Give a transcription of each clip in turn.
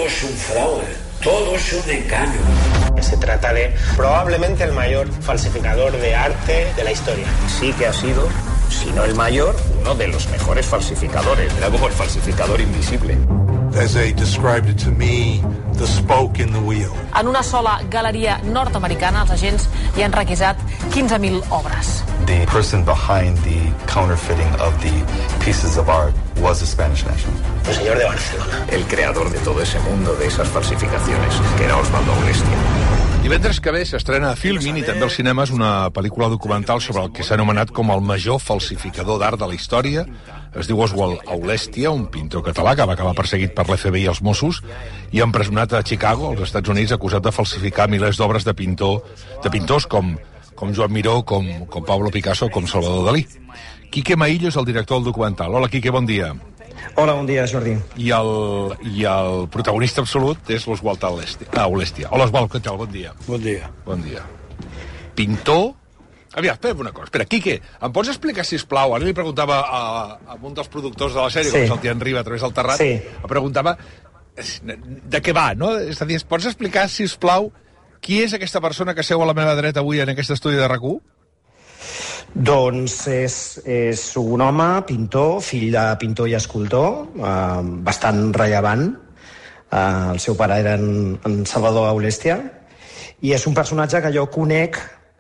es un fraude, todo es un engaño. Se trata de probablemente el mayor falsificador de arte de la historia. Sí que ha sido, si no el mayor, uno de los mejores falsificadores. Era como el falsificador invisible. As they described it to me, the spoke in the wheel. En una sola galeria nord-americana, els agents hi han requisat 15.000 obres. The person behind the counterfeiting of the pieces of art was a Spanish national. El señor de Barcelona. El creador de todo ese mundo de esas falsificaciones, que era Osvaldo Aulestia. Divendres que ve s'estrena a Filmin i també als cinemes una pel·lícula documental sobre el que s'ha anomenat com el major falsificador d'art de la història. Es diu Oswald Aulestia, un pintor català que va acabar perseguit per l'FBI i els Mossos i empresonat a Chicago, als Estats Units, acusat de falsificar milers d'obres de pintors com Joan Miró, com Pablo Picasso, com Salvador Dalí. Quique Maillo és el director del documental. Hola, Quique, bon dia. Hola, bon dia, Jordi. I el protagonista absolut és l'Oswald Aulestia. Hola, Oswald, què tal? Bon dia. Bon dia. Bon dia. Pintor... Aviam, espera una cosa. Espera, Quique, em pots explicar, sisplau? Ara li preguntava a un dels productors de la sèrie, com és el Tian Riba, a través del Terrat, em preguntava de què va, no? És a dir, pots explicar, sisplau, qui és aquesta persona que seu a la meva dreta avui en aquest estudi de RAC1? Doncs és un home, pintor, fill de pintor i escultor, bastant rellevant. El seu pare era en Salvador Aulestia, i és un personatge que jo conec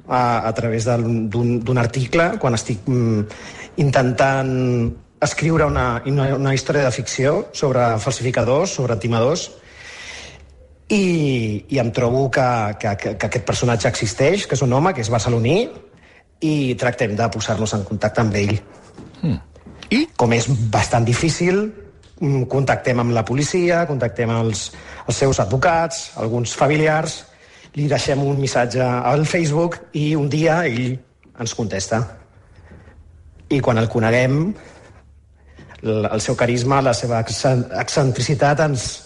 a través d'un article, quan estic intentant escriure una història de ficció sobre falsificadors, sobre timadors, i em trobo que aquest personatge existeix, que és un home, que és barceloní, i tractem de posar-nos en contacte amb ell. I? Com és bastant difícil, contactem amb la policia, contactem amb els seus advocats, alguns familiars, li deixem un missatge al Facebook i un dia ell ens contesta. I quan el coneguem, el seu carisma, la seva excentricitat ens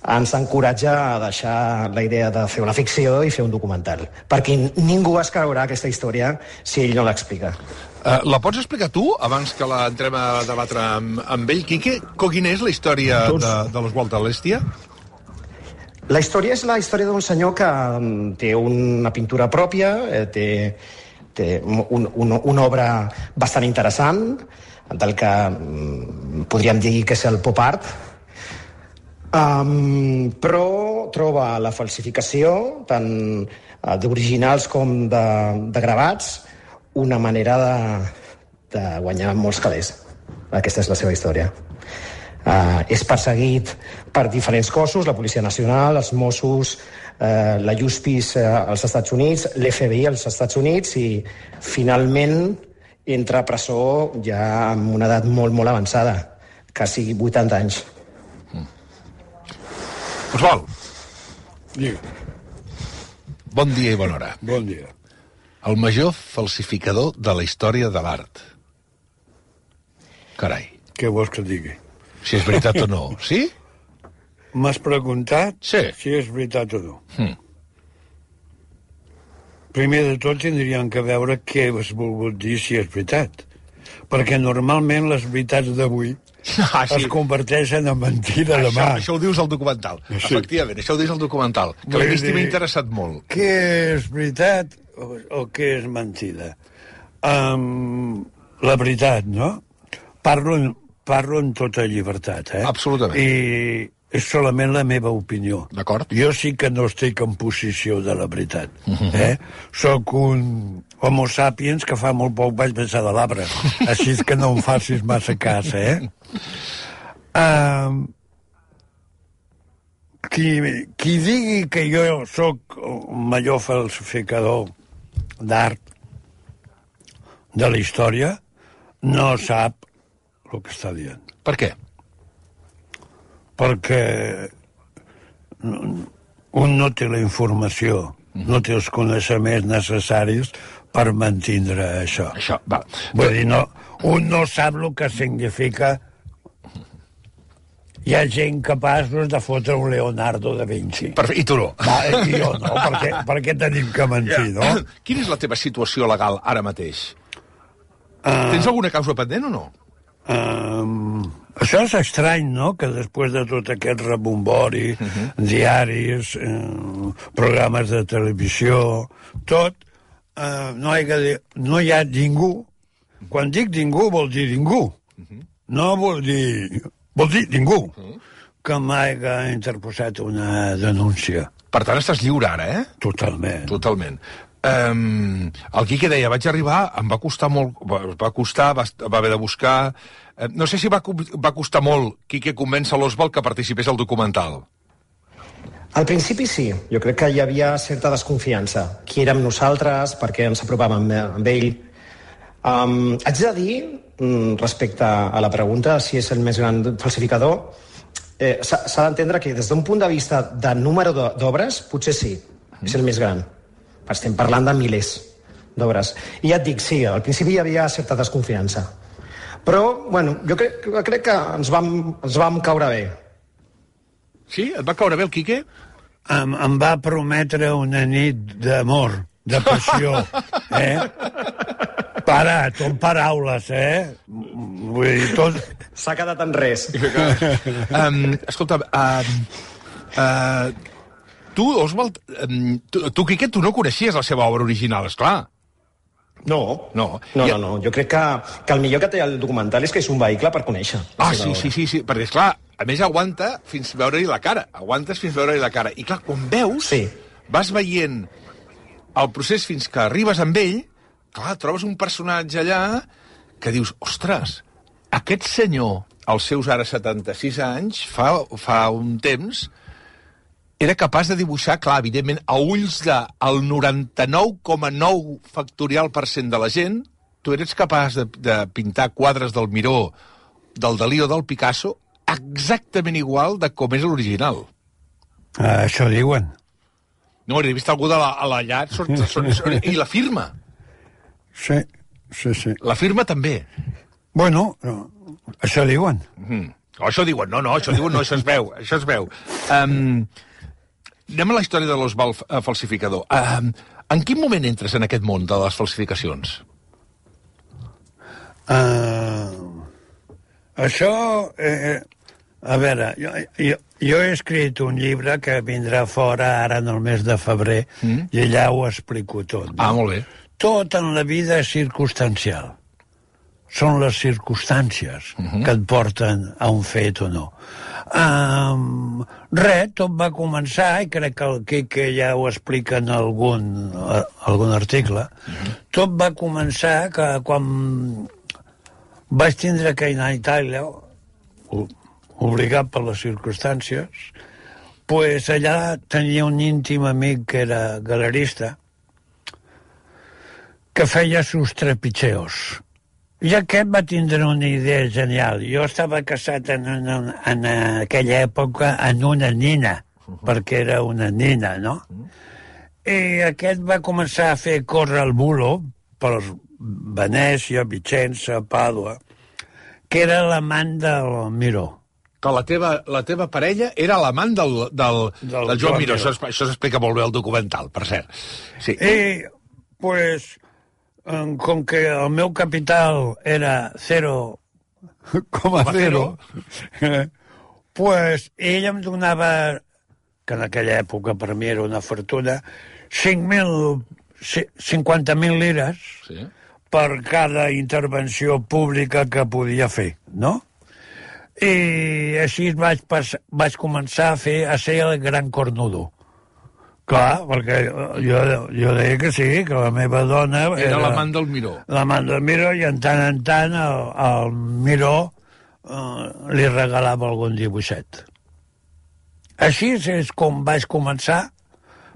encoratja a deixar la idea de fer una ficció i fer un documental. Perquè ningú es creurà aquesta història si ell no l'explica. La pots explicar tu, abans que l'entrem a debatre amb ell? Quique, quina és la història de l'Oswald Aulestia? La història és la història d'un senyor que té una pintura pròpia, té una obra bastant interessant, del que podríem dir que és el pop art, però troba la falsificació, tant d'originals com de gravats, una manera de guanyar molts calés. Aquesta és la seva història. És perseguit per diferents cossos, la Policia Nacional, els Mossos, la Justice als Estats Units, l'FBI als Estats Units, i finalment entra a presó ja amb una edat molt, molt avançada, quasi 80 anys. Oswald. Digue. Bon dia i bona hora. Bon dia. El major falsificador de la història de l'art. Carai. Què vols que digui? Si és veritat o no. Sí? M'has preguntat si és veritat o no. Primer de tot tindríem que veure què has volgut dir si és veritat. Perquè normalment les veritats d'avui es converteixen en mentida demà. Això ho dius al documental. Sí. Efectivament, això ho dius al documental. Que l'he vist i m'ha interessat molt. Què és veritat o què és mentida? La veritat, no? Parlo en tota llibertat, Absolutament. I és solament la meva opinió. D'acord. Jo sí que no estic en posició de la veritat. Soc un homo sapiens que fa molt poc vaig baixar de l'arbre. Així que no em facis massa cas, Qui digui que jo sóc el major falsificador d'art de la història no sap el que està dient. Per què? Perquè un no té la informació, no té els coneixements necessaris per mantindre això. Vull dir, un no sap el que significa. Hi ha gent capaç de fotre un Leonardo da Vinci. I tu no. I jo no, per què tenim que mentir, no? Quina és la teva situació legal ara mateix? Tens alguna causa pendent o no? Això és estrany, no?, que després de tot aquest rebombori, diaris, programes de televisió, tot, no hi ha ningú. Quan dic ningú, vol dir ningú. No vol dir... Vol dir ningú que m'hagi interposat una denúncia. Per tant, estàs lliure ara, eh? Totalment. Totalment. El Quique deia, vaig arribar, em va costar molt, va haver de buscar... No sé si va costar molt, Quique, convèncer l'Oswald que participés al documental. Al principi sí, jo crec que hi havia certa desconfiança. Qui érem nosaltres, per què ens apropàvem amb ell. Haig de dir, respecte a la pregunta si és el més gran falsificador, s'ha d'entendre que des d'un punt de vista de número d'obres, potser sí, és el més gran. Estem parlant de milers d'obres. I ja et dic, sí, al principi hi havia certa desconfiança. Però, bueno, jo crec que ens vam caure bé. Sí? Et va caure bé el Quique? Em va prometre una nit d'amor, de passió, Tot paraules, Vull dir, tot... S'ha quedat en res. Escolta, tu, Oswald, tu, Quique, tu no coneixies la seva obra original, esclar. No. Jo crec que el millor que té el documental és que és un vehicle per conèixer. Sí, perquè, esclar, a més aguanta fins veure-hi la cara. Aguantes fins veure-hi la cara. I, clar, quan veus, vas veient el procés fins que arribes amb ell, clar, trobes un personatge allà que dius, ostres, aquest senyor, als seus ara 76 anys, fa un temps, era capaç de dibuixar, clar, evidentment, a ulls del 99,9 factorial % de la gent, tu eres capaç de pintar quadres del Miró, del Dalí o del Picasso, exactament igual de com és l'original. Això diuen. No, he vist algú de la llar, i la firma. Sí. La firma també. Bueno, això diuen. Això diuen, això es veu. Anem a la història de l'Oswald falsificador. En quin moment entres en aquest món de les falsificacions? Això... a veure, jo he escrit un llibre que vindrà fora ara en el mes de febrer i allà ho explico tot. Molt bé. Tot en la vida és circumstancial. Són les circumstàncies que et porten a un fet o no. Tot va començar, i crec que el Quique ja ho explica en algun article, tot va començar que quan vaig tindre que anar a Itàlia, obligat per les circumstàncies, pues allà tenia un íntim amic que era galerista, que feia sus trepitgeos. I aquest va tindre una idea genial. Jo estava casat en aquella època en una nina, perquè era una nina, no? I aquest va començar a fer córrer el bulo per Venècia, Vicenza, Pàdua, que era l'amant del Miró. Que la teva parella era l'amant del Joan Miró. Això s'explica molt bé al documental, per cert. Sí. I, pues... com que el meu capital era 0,0, pues ell em donava, que en aquella època per mi era una fortuna, 50.000 lires per cada intervenció pública que podia fer, no? I així vaig començar a ser el gran cornudo. Clar, perquè jo deia que sí, que la meva dona... Era l'amant del Miró. L'amant del Miró, i en tant el Miró li regalava algun dibuixet. Així és com vaig començar,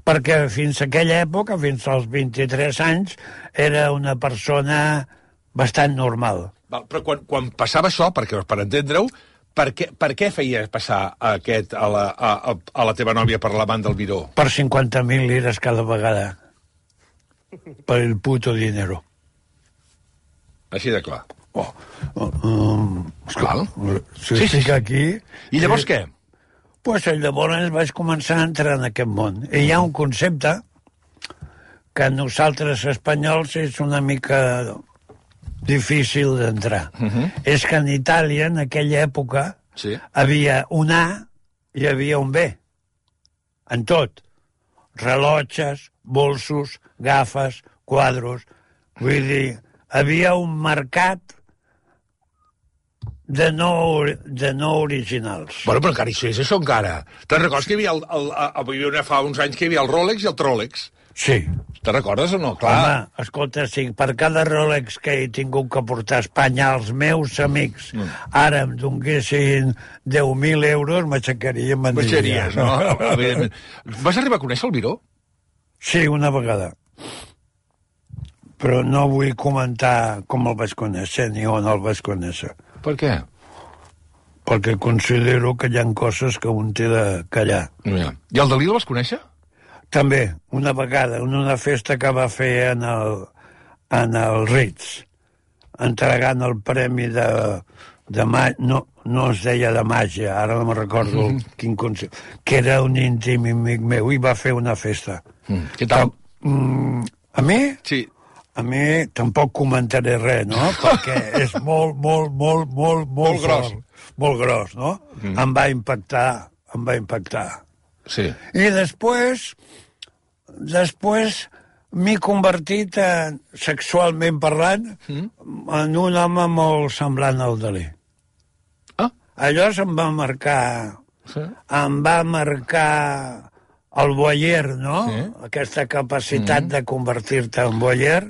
perquè fins a aquella època, fins als 23 anys, era una persona bastant normal. Però quan passava això, per entendre-ho, per què feies passar aquest a la teva nòvia per l'amant del Miró? Per 50.000 lires cada vegada. Per el puto dinero. Així de clar. Clar. Sí. Aquí... I llavors què? Pues llavors vaig començar a entrar en aquest món. I hi ha un concepte que nosaltres espanyols és una mica difícil d'entrar. És que en Itàlia, en aquella època, havia un A i hi havia un B. En tot. Rellotges, bolsos, gafes, quadros... Vull dir, havia un mercat de no originals. Bueno, però encara és això encara. Te'n recordes que hi havia fa uns anys que hi havia el Rolex i el Trolex? Sí. Te'n recordes o no? Clar. Home, escolta, si per cada Rolex que he tingut que portar a Espanya els meus amics ara em donguessin 10.000 euros, m'aixecaria i m'aixecaries, no? Evidentment. Vas arribar a conèixer el Miró? Sí, una vegada. Però no vull comentar com el vaig conèixer ni on el vaig conèixer. Per què? Perquè considero que hi ha coses que un té de callar. Ja. I el Dalí el vas conèixer? També, una vegada, en una festa que va fer en el Ritz, entregant el premi de no es deia de màgia, ara no me'n recordo quin concepte, que era un íntim amic meu i va fer una festa. Què tal? A mi? Sí. A mi tampoc comentaré res, no? Perquè és molt gros. Molt gros, no? Em va impactar. Sí. I després m'he convertit, sexualment parlant, en un home molt semblant al Dalí. Allò em va marcar el voyeur, no? Sí. Aquesta capacitat de convertir-te en voyeur,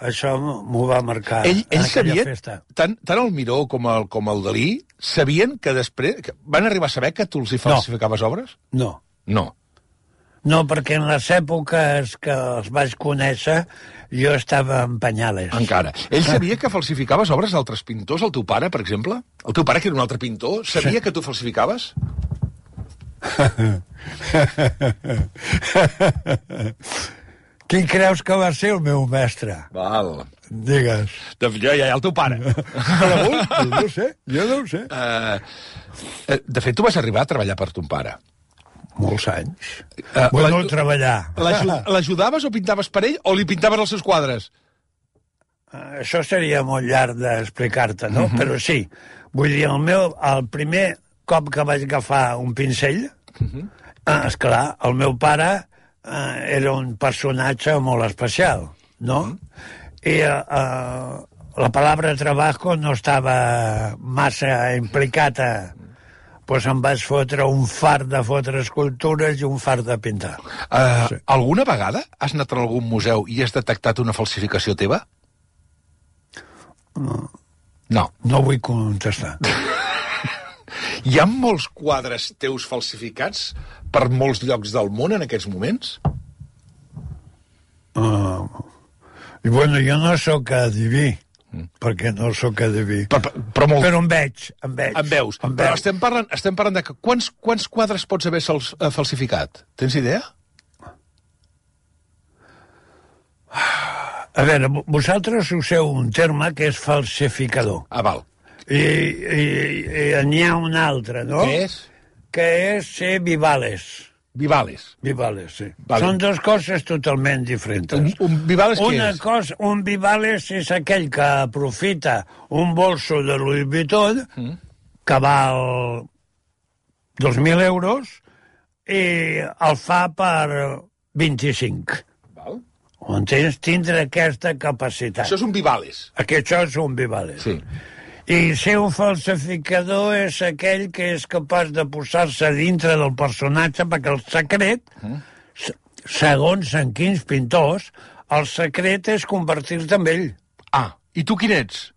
això m'ho va marcar en aquella sabien, festa. Tant el Miró com el Dalí sabien que després... Van arribar a saber que tu els hi falsificaves obres? No. No, perquè en les èpoques que els vaig conèixer jo estava en penyales. Encara. Ell sabia que falsificaves obres d'altres pintors, el teu pare, per exemple? El teu pare, que era un altre pintor, sabia que tu falsificaves? Qui creus que va ser el meu mestre? Val. Digues. Ja, el teu pare. No ho sé, jo no ho sé. De fet, tu vas arribar a treballar per ton pare. Molts anys. Bueno, treballar. L'ajudaves o pintaves per ell o li pintaves els seus quadres? Això seria molt llarg d'explicar-te, no? Però sí. Vull dir, el primer cop que vaig agafar un pincell, esclar, el meu pare era un personatge molt especial, no? I la paraula trabajo no estava massa implicada. Pues em vaig fotre un fart de fotre escultures i un fart de pintar. Sí. Alguna vegada has anat a algun museu i has detectat una falsificació teva? No. No vull contestar. Hi ha molts quadres teus falsificats per molts llocs del món en aquests moments? I bueno, jo no sóc adiví, perquè no sóc adiví. Però en veig. En veus. Però estem parlant de que quants quadres pots haver falsificat? Tens idea? A veure, vosaltres useu un terme que és falsificador. Val. I n'hi ha un altre, no? Què és? Que és ser vivales. Vivales, sí. Vale. Són dues coses totalment diferents. Un vivales què és? Un vivales és aquell que aprofita un bolso de Louis Vuitton que val 2.000 euros i el fa per 25. Val. Ho entens? Tindre aquesta capacitat. Això és un vivales. Això és un vivales. Sí. I ser un falsificador és aquell que és capaç de posar-se dintre del personatge perquè el secret, segons en quins pintors, el secret és convertir-te en ell. I tu quin ets?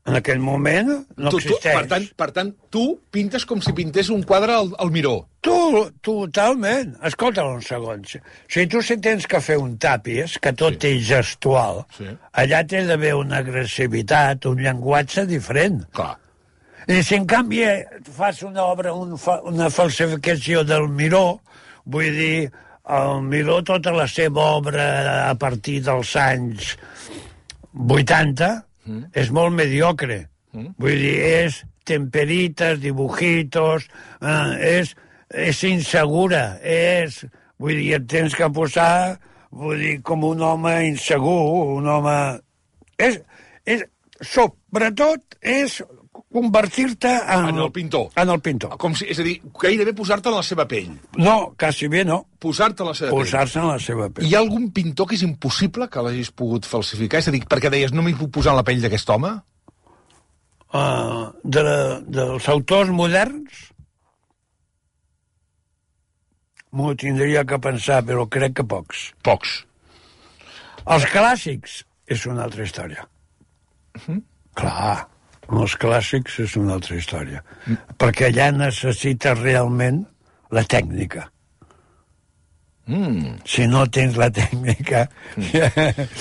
En aquell moment no existeix. Per tant, tu pintes com si pintés un quadre al Miró. Totalment. Escolta un segon. Si tu tens que fer un tàpies, que tot és gestual, allà té d'haver una agressivitat, un llenguatge diferent. Clar. I si en canvi fas una obra, una falsificació del Miró, vull dir, el Miró, tota la seva obra a partir dels anys 80, és molt mediocre. Vull dir, és temperitas, dibujitos, és insegura, vull dir, et tens que posar, vull dir, com un home insegur, un home... sobretot, és convertir-te En el pintor. En el pintor. És a dir, gairebé posar-te en la seva pell. No, quasi bé no. Posar-te en la seva pell. Posar-se en la seva pell. Hi ha algun pintor que és impossible que l'hagis pogut falsificar? És a dir, perquè deies, no m'hi puc posar en la pell d'aquest home? Dels autors moderns m'ho tindria que pensar, però crec que pocs. Pocs. Els clàssics és una altra història. Clar, els clàssics és una altra història. Perquè allà necessites realment la tècnica. Si no tens la tècnica...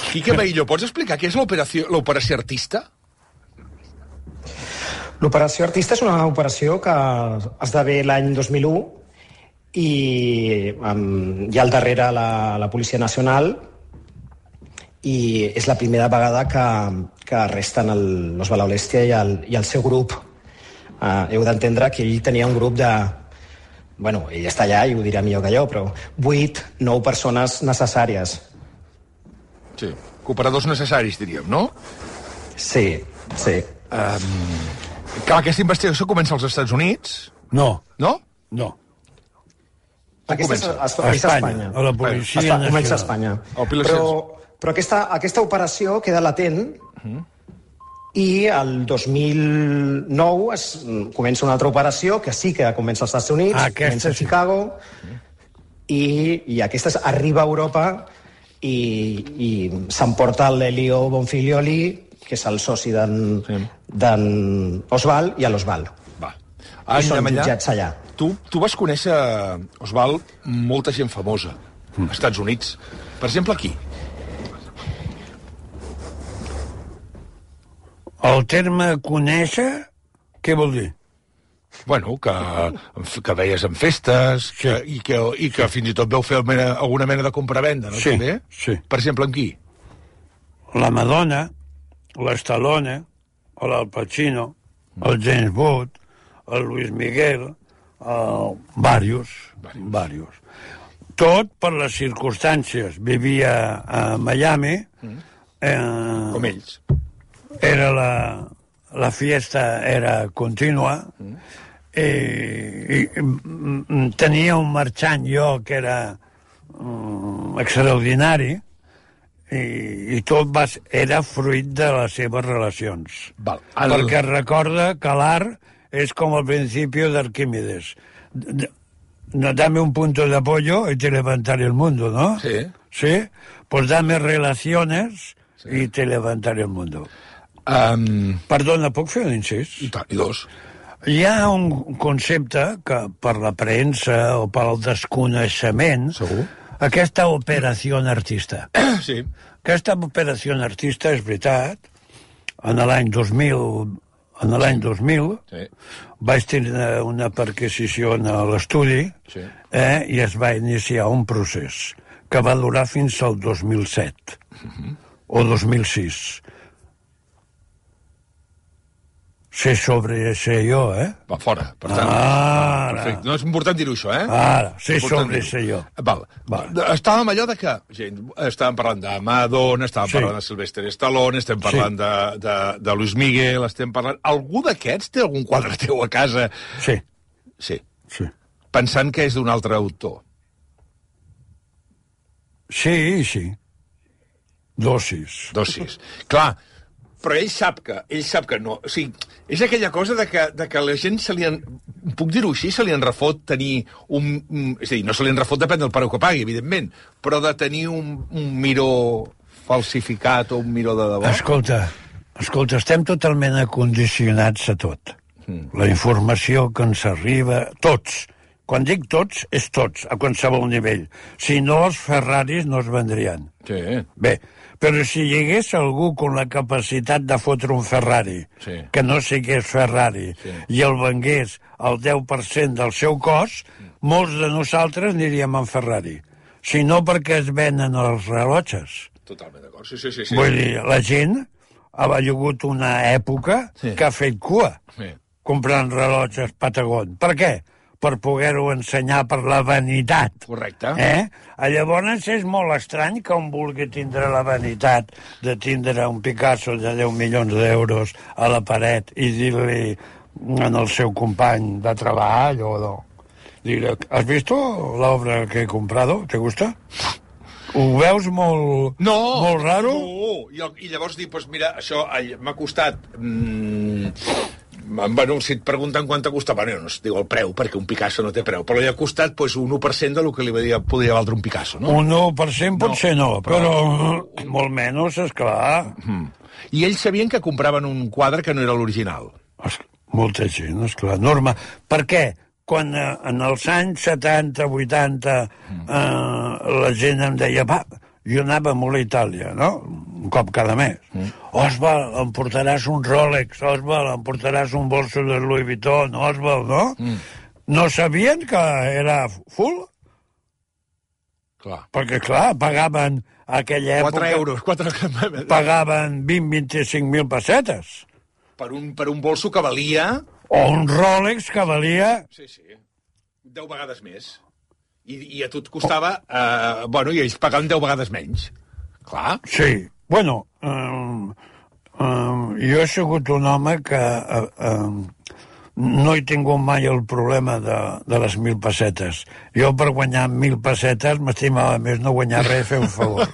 Quique Bahillo, pots explicar què és l'operació artista? L'operació artista és una operació que esdevé l'any 2001 i hi ha al darrere la Policia Nacional i és la primera vegada que arresten l'Osvaldo Aulestia i el seu grup. Heu d'entendre que ell tenia un grup de... Bueno, ell està allà i ho dirà millor que jo, però 8-9 persones necessàries. Sí, cooperadors necessaris, diríem, no? Sí, sí. Clar, aquesta investigació comença als Estats Units. No. No? No. Aquesta és a Espanya. A la Policia Nacional. Comença a Espanya. Però aquesta operació queda latent i el 2009 comença una altra operació que sí que comença als Estats Units, comença a Chicago i aquesta arriba a Europa i s'emporta l'Elio Bonfiglioli, que és el soci d'en Osvald, i a l'Osvald. I són jutjats allà. Tu vas conèixer, Osvald, molta gent famosa als Estats Units. Per exemple, aquí. El terme conèixer, què vol dir? Bueno, que veies en festes i que fins i tot veu fer alguna mena de compra-venda, no? Sí, també? sí. Per exemple, amb qui? La Madonna, l'Stallone, l'Al Pacino, el James Wood, el Luis Miguel, varios. Tot per les circumstàncies. Vivia a Miami. Com ells. Era la fiesta era contínua i tenia un marxant jo que era extraordinari i tot era fruit de les seves relacions. Perquè recorda que l'art és com al principi d'Arquímedes. Dame un punto de apoyo y te levantaré el mundo, ¿no? Sí. ¿Sí? Pues dame relaciones y te levantaré el mundo. Perdona, puc fer un incís? I dos. Hi ha un concepte que per la premsa o pel desconeixement, aquesta operació artista. Sí. Aquesta operació artista, és veritat, en l'any 2000 vaig tenir una perquisició a l'estudi i es va iniciar un procés que va durar fins al 2007 o 2006. Sé sobre sé jo, Va fora, per tant. Perfecte. No és important dir-ho, això, Ara, sé sobre sé jo. Val. Estàvem allò de que... Estàvem parlant de Madonna, estàvem parlant de Sylvester Stallone, estem parlant de Luis Miguel, estem parlant... Algú d'aquests té algun quadre teu a casa? Sí. Sí. Pensant que és d'un altre autor. Sí. Dosis. Clar, però ell sap que no... O sigui, és aquella cosa de que a la gent se li puc dir-ho així, se li refot tenir un... És a dir, no se li refot depèn del preu que pagui, evidentment, però de tenir un miró falsificat o un miró de debò. Escolta, estem totalment acondicionats a tot. La informació que ens arriba... Tots. Quan dic tots, és tots, a qualsevol nivell. Si no, els Ferraris no es vendrien. Sí. Bé, però si hi hagués algú amb la capacitat de fotre un Ferrari, que no sigués Ferrari, i el vengués al 10% del seu cost, molts de nosaltres aniríem en Ferrari. Si no, perquè es venen els rellotges. Totalment d'acord, sí. Vull dir, la gent ha hagut una època que ha fet cua comprant rellotges Patagon. Per què? per poder-ho ensenyar per la vanitat. Correcte. Llavors és molt estrany que un vulgui tindre la vanitat de tindre un Picasso de 10 milions d'euros a la paret i dir-li en el seu company de treball o no. Dir, ¿has visto la obra que he comprado? ¿Te gusta? Ho veus molt raro? No, i llavors dir, doncs mira, això m'ha costat... Bueno, si et pregunten quant t'ha costat, bueno, no es diu el preu, perquè un Picasso no té preu, però li ha costat un 1% del que podria valdre un Picasso, no? Un 1% potser no, però molt menys, esclar. I ells sabien que compraven un quadre que no era l'original. Molta gent, esclar. Norma, per què? Quan en els anys 70, 80, la gent em deia, va, jo anava molt a Itàlia, no? Un cop cada mes. Oswald, em portaràs un Rolex, Oswald, em portaràs un bolso de Louis Vuitton, Oswald, no? No sabien que era full? Clar. Perquè, clar, pagaven a aquella època... 4 euros. Pagaven 20-25.000 pessetes. Per un bolso que valia... O un Rolex que valia... Sí, 10 vegades més. I a tu et costava... bueno, i ells pagaven 10 vegades menys. Clar. Sí. Bueno, jo he sigut un home que no he tingut mai el problema de les 1.000 pessetes. Jo, per guanyar 1.000 pessetes, m'estimava més no guanyar res, fer un favor.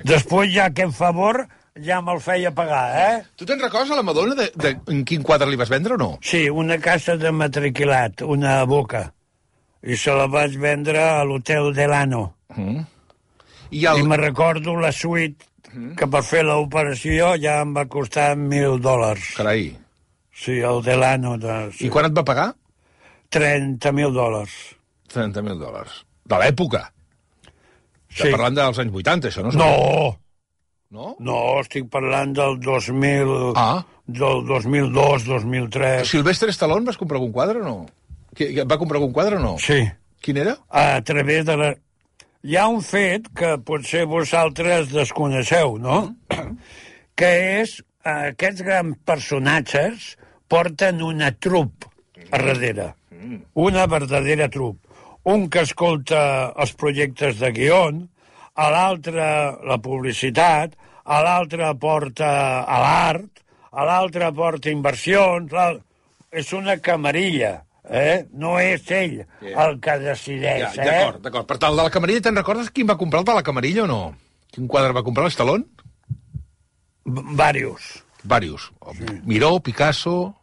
Després, ja aquest favor... ja me'l feia pagar, Tu te'n recordes a la Madonna en quin quadre li vas vendre o no? Sí, una casa de matriculat, una Boca. I se la vaig vendre a l'Hotel Delano. I me recordo la suite, que per fer l'operació ja em va costar $1.000. Carai. Sí, el Delano. I quan et va pagar? $30.000. $30.000. De l'època. Sí. Parlant dels anys 80, això, no? No! No? No, estic parlant del 2000... del 2002, 2003... Sylvester Stallone vas comprar algun quadre o no? Va comprar algun quadre o no? Sí. Quin era? A través de la... Hi ha un fet que potser vosaltres desconeixeu, no? Que és aquests grans personatges porten una trup a darrere. Una verdadera trup. Un que escolta els projectes de guion, a l'altre la publicitat, a l'altre porta a l'art, a l'altre porta inversions... És una camarilla, no és ell el que decideix. D'acord. Per tant, el de la camarilla, te'n recordes quin va comprar el de la camarilla o no? Quin quadre va comprar l'Stallone? Vàrios. Sí. Miró, Picasso...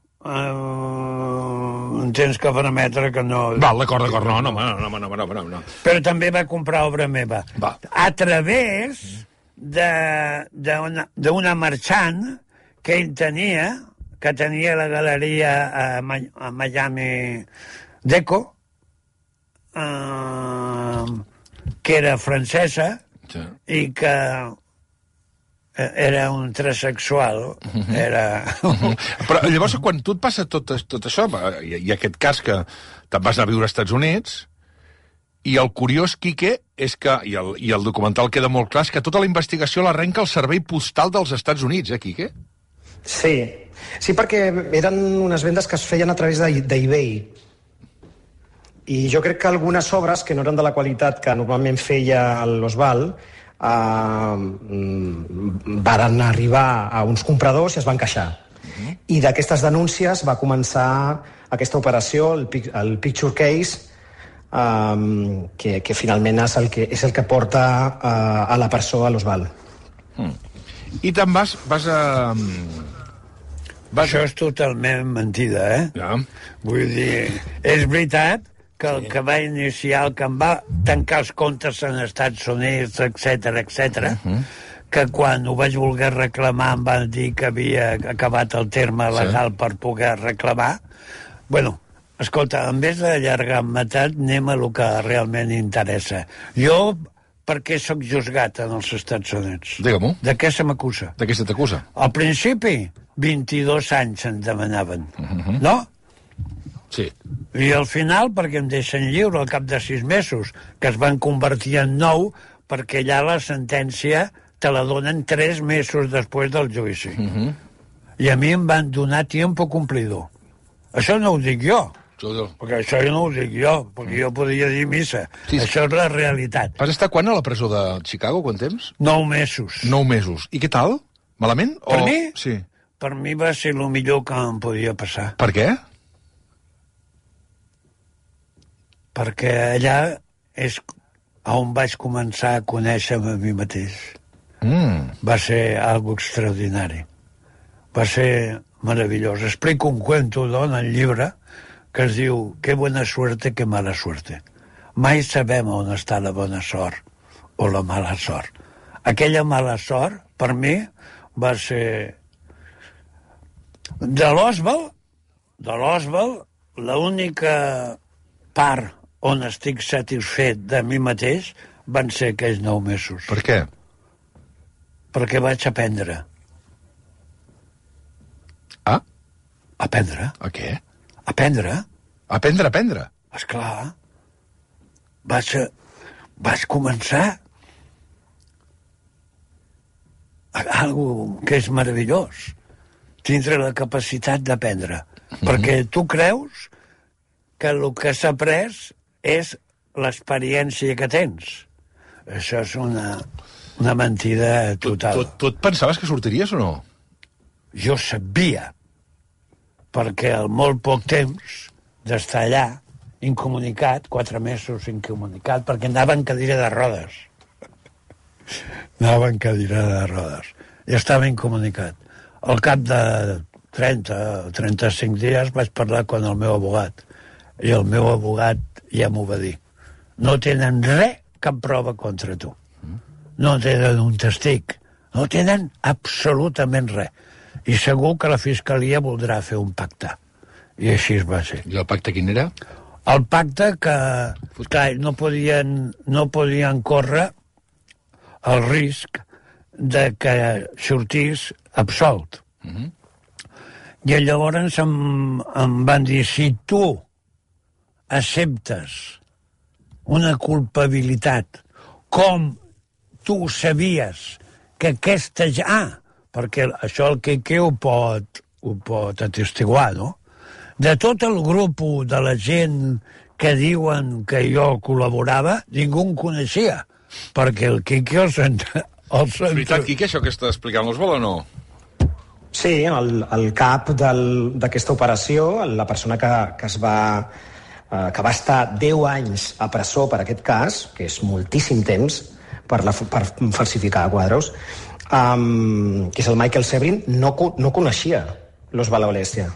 tens que permetre que no... Val, d'acord, no. Però també va comprar obra meva. Va. A través d'una marxant que ell tenia, que tenia la galeria a Miami Deco, que era francesa, i que era un transexual. Però llavors, quan tu et passa tot això, i aquest cas que te'n vas anar a viure als Estats Units, i el curiós, Quique, és que, i el documental queda molt clar, és que tota la investigació l'arrenca el servei postal dels Estats Units, Quique? Sí, perquè eren unes vendes que es feien a través d'eBay. I jo crec que algunes obres, que no eren de la qualitat que normalment feia l'Oswald, varen arribar a uns compradors i es van queixar. I d'aquestes denúncies va començar aquesta operació, el Picture Case, que finalment és el que porta a la presó a l'Oswald. I te'n vas a... Això és totalment mentida, Ja. Vull dir, és veritat que el que va iniciar, el que em va tancar els comptes en Estats Units, etc., que quan ho vaig voler reclamar em van dir que havia acabat el terme legal per poder reclamar. Bueno, escolta, en vez d'allargar-me tant, anem a el que realment interessa. Jo, per què soc juzgat en els Estats Units? Digue-m'ho. De què se m'acusa? De què se t'acusa? Al principi, 22 anys em demanaven, no? Sí. I al final, perquè em deixen lliure al cap de 6 mesos, que es van convertir en 9, perquè allà la sentència te la donen 3 mesos després del judici. I a mi em van donar tiempo cumplido. Això no ho dic jo. Perquè això jo no ho dic jo, perquè jo podria dir missa. Sí. Això és la realitat. Vas estar quan a la presó de Chicago? Quant temps? 9 mesos. 9 mesos. I què tal? Malament? Per mi? Sí. Per mi va ser el millor que em podia passar. Per què? Perquè allà és on vaig començar a conèixer-me a mi mateix. Va ser algo extraordinari. Va ser meravellós. Explico un cuento en el llibre que es diu «Qué buena suerte, qué mala suerte». Mai sabem on està la bona sort o la mala sort. Aquella mala sort, per mi, va ser... De l'Oswald, l'única part on estic satisfet de mi mateix van ser aquells 9 mesos. Per què? Perquè vaig aprendre. Aprendre. A què? Aprendre. Aprendre? Esclar. Vaig començar algo que és meravellós. Tindre la capacitat d'aprendre. Perquè tu creus que el que s'ha après és l'experiència que tens. Això és una mentida total. Tu et pensaves que sortiries o no? Jo sabia, perquè al molt poc temps d'estar allà, incomunicat, 4 mesos incomunicat, perquè anava en cadira de rodes. I estava incomunicat. Al cap de 30 o 35 dies vaig parlar amb el meu abogat, i el meu abogat ja m'ho va dir. No tenen res, cap prova contra tu. No tenen un testig. No tenen absolutament res. I segur que la Fiscalia voldrà fer un pacte. I així es va ser. I el pacte quin era? El pacte que clar, no podien córrer el risc de que sortís absolt. I llavors em van dir, si tu acceptes una culpabilitat com tu sabies que aquesta perquè això el Quique ho pot atestiguar, no? De tot el grup de la gent que diuen que jo col·laborava, ningú em coneixia, perquè el Quique els És veritat, Quique, això que està explicant els vol o no? Sí, el cap d'aquesta operació, la persona que va estar 10 anys a presó per aquest cas, que és moltíssim temps per falsificar quadros, que és el Michael Severin, no coneixia Los Balolestia.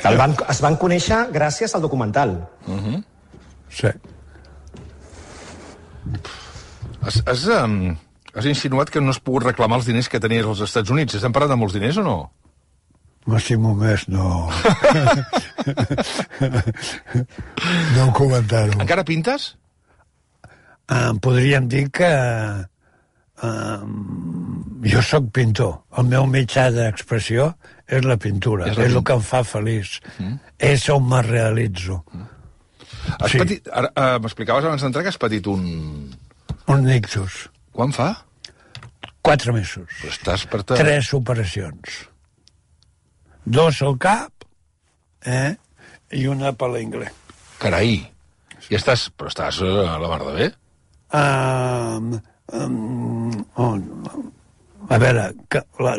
Es van conèixer gràcies al documental. Sí. Has insinuat que no has pogut reclamar els diners que tenies als Estats Units. Estem parlant de molts diners o no? M'estimo més, no. No comentar-ho. Encara pintes? Podríem dir que jo sóc pintor. El meu mitjà d'expressió és la pintura. És el que em fa feliç. És on me realitzo. M'explicaves abans d'entrar que has patit un ictus. Quan fa? 4 mesos. Però estàs per 3 operacions. 2 al cap, i una per l'inglès. Carai. I estàs a la mar de bé? A veure,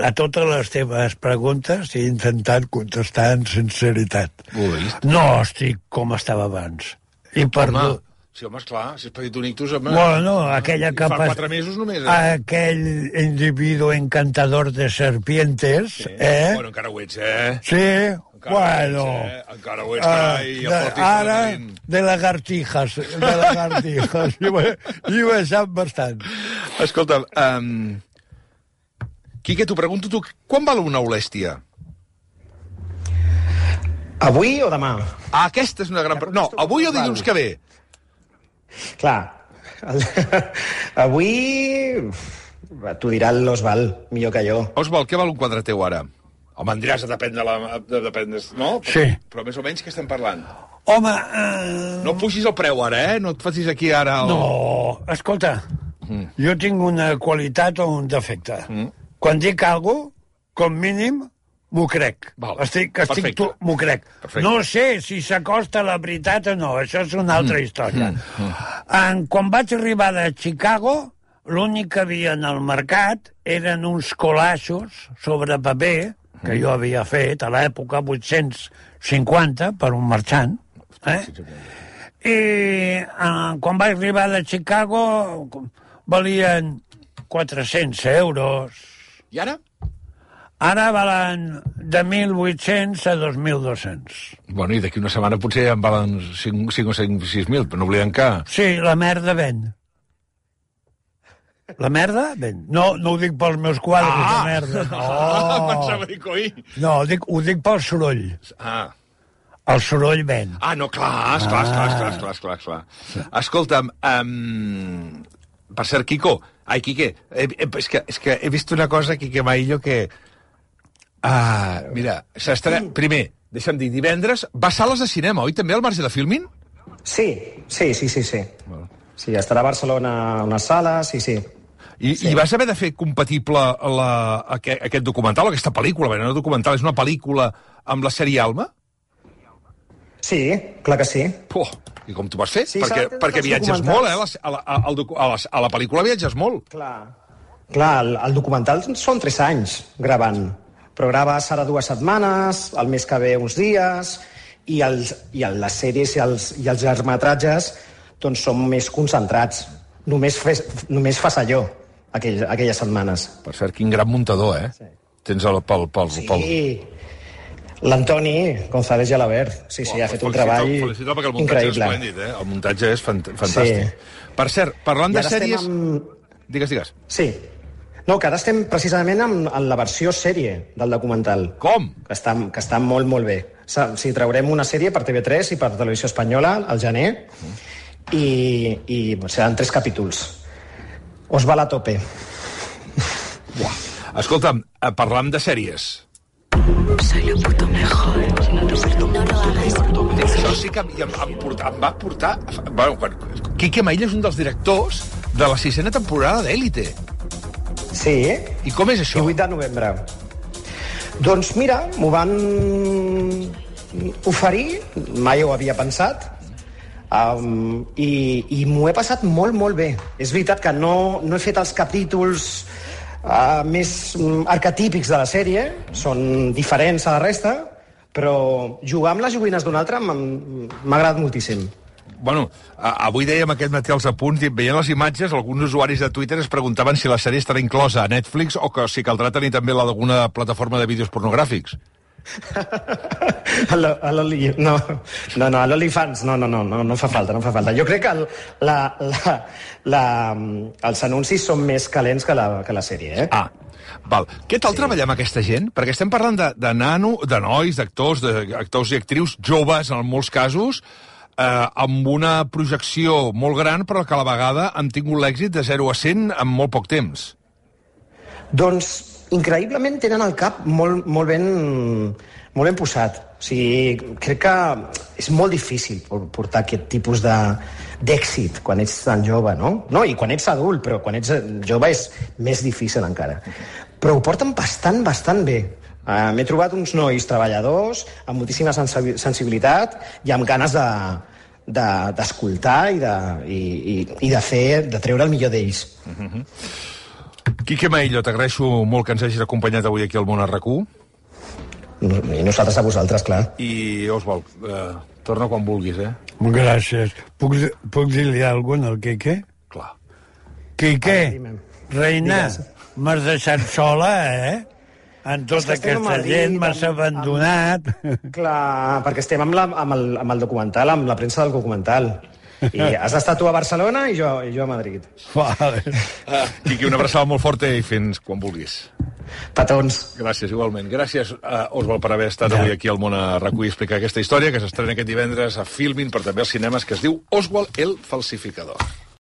a totes les teves preguntes he intentat contestar en sinceritat. No estic com estava abans. I perdó. Sí, home, esclar, si has patit un ictus... Bueno, aquella fa 4 mesos només, aquell individu encantador de serpientes, Bueno, encara ho ets, Sí, bueno... Encara ho ets, carai. Ara, de lagartijas. I ho he sap bastant. Escolta'm, Quique, t'ho pregunto tu, quan val una olèstia? Avui o demà? Aquesta és una gran... No, avui o dilluns que ve? Clar, avui t'ho dirà l'Oswald, millor que jo. Oswald, què val un quadre teu ara? Home, em diràs, depèn no? Sí. Però més o menys què estem parlant? Home... No pugis el preu ara, No et facis aquí ara... No, escolta, jo tinc una qualitat o un defecte. Quan dic alguna cosa, com mínim, M'ho crec. Val. M'ho crec. Perfecte. No sé si s'acosta a la veritat o no, això és una altra història. Quan vaig arribar de Chicago, l'únic que havia en el mercat eren uns collages sobre paper, que jo havia fet a l'època 850 per un marxant. I quan vaig arribar de Chicago valien 400 euros. I ara? Ara valen de 1.800 a 2.200. Bueno, i d'aquí una setmana potser en valen 5 o 6.000, però no oblidem que... Sí, la merda ven. La merda ven. No ho dic pels meus quadres, la merda. No. Pensava dir coi. No, ho dic pel soroll. El soroll ven. No, clar. Escolta'm, per cert, Quique, és que he vist una cosa, Quique Maillo, que... mira, s'estrena... Primer, deixa'm dir, divendres, va a sales de cinema, oi, també, al marge de Filmin? Sí. Bueno. Sí, estarà a Barcelona unes sales, sí. I vas haver de fer compatible aquest documental, aquesta pel·lícula, bé, no documental, és una pel·lícula amb la sèrie Alma? Sí, clar que sí. I com t'ho vas fer? Sí, perquè viatges molt, a la pel·lícula viatges molt. Clar, el documental són 3 anys gravant, però graves ara 2 setmanes, el mes que ve uns dies, i les sèries i els llargmetratges doncs són més concentrats. Només fas allò, aquelles setmanes. Per cert, quin gran muntador, eh? Sí. Tens Sí, l'Antoni González Gelabert. Sí, ha fet un treball increïble. Felicito perquè el muntatge és esplèndid, eh? El muntatge és fantàstic. Sí. Per cert, parlant de sèries... Digues. Sí. No, que ara estem precisament en la versió sèrie del documental. Com? Que està molt, molt bé. Sí, traurem una sèrie per TV3 i per Televisió Espanyola al gener, i seran 3 capítols. Os va la tope. Escolta'm, parlam de sèries. Soy lo puto mejor. No lo hagas. Això sí que em va portar... Bueno, Quique Maillo és un dels directors de la 6a temporada d'Élite. Sí. I com és això? 18 de novembre. Doncs mira, m'ho van oferir, mai ho havia pensat, i m'ho he passat molt, molt bé. És veritat que no he fet els capítols més arquetípics de la sèrie, són diferents a la resta, però jugar amb les joguines d'un altre m'ha agradat moltíssim. Bueno, avui dèiem aquest matí als apunts, i veient les imatges, alguns usuaris de Twitter es preguntaven si la sèrie estarà inclosa a Netflix o que si caldrà tenir també d'alguna plataforma de vídeos pornogràfics. A l'OnlyFans, no fa falta. Jo crec que els anuncis són més calents que la sèrie, eh? Val. Què tal treballar amb aquesta gent? Perquè estem parlant de nois, d'actors i actrius joves, en molts casos, amb una projecció molt gran, però que a la vegada han tingut l'èxit de 0 a 100 en molt poc temps. Doncs, increïblement, tenen el cap molt ben posat. O sigui, crec que és molt difícil portar aquest tipus d'èxit quan ets tan jove, no? No, i quan ets adult, però quan ets jove és més difícil encara. Però ho porten bastant bé. M'he trobat uns nois treballadors amb moltíssima sensibilitat i amb ganes d'escoltar i de treure el millor d'ells. Quique Maillo, t'agraeixo molt que ens hagis acompanyat avui aquí al Món a RAC1. I nosaltres a vosaltres, clar. I, Oswald, torna quan vulguis, eh? Gràcies. Puc dir-li alguna cosa al Quique? Clar. Quique, reina, m'has deixat sola, eh? En tota aquesta gent m'has abandonat. Clar, perquè estem amb el documental, amb la premsa del documental. I has estat tu a Barcelona i jo a Madrid. Vale. Quique, una abraçada molt forta i fins quan vulguis. Petons. Gràcies, igualment. Gràcies, Oswald, per haver estat avui aquí al Món a RAC1 i explicar aquesta història que s'estrena aquest divendres a Filmin, però també als cinemes, que es diu Oswald el falsificador.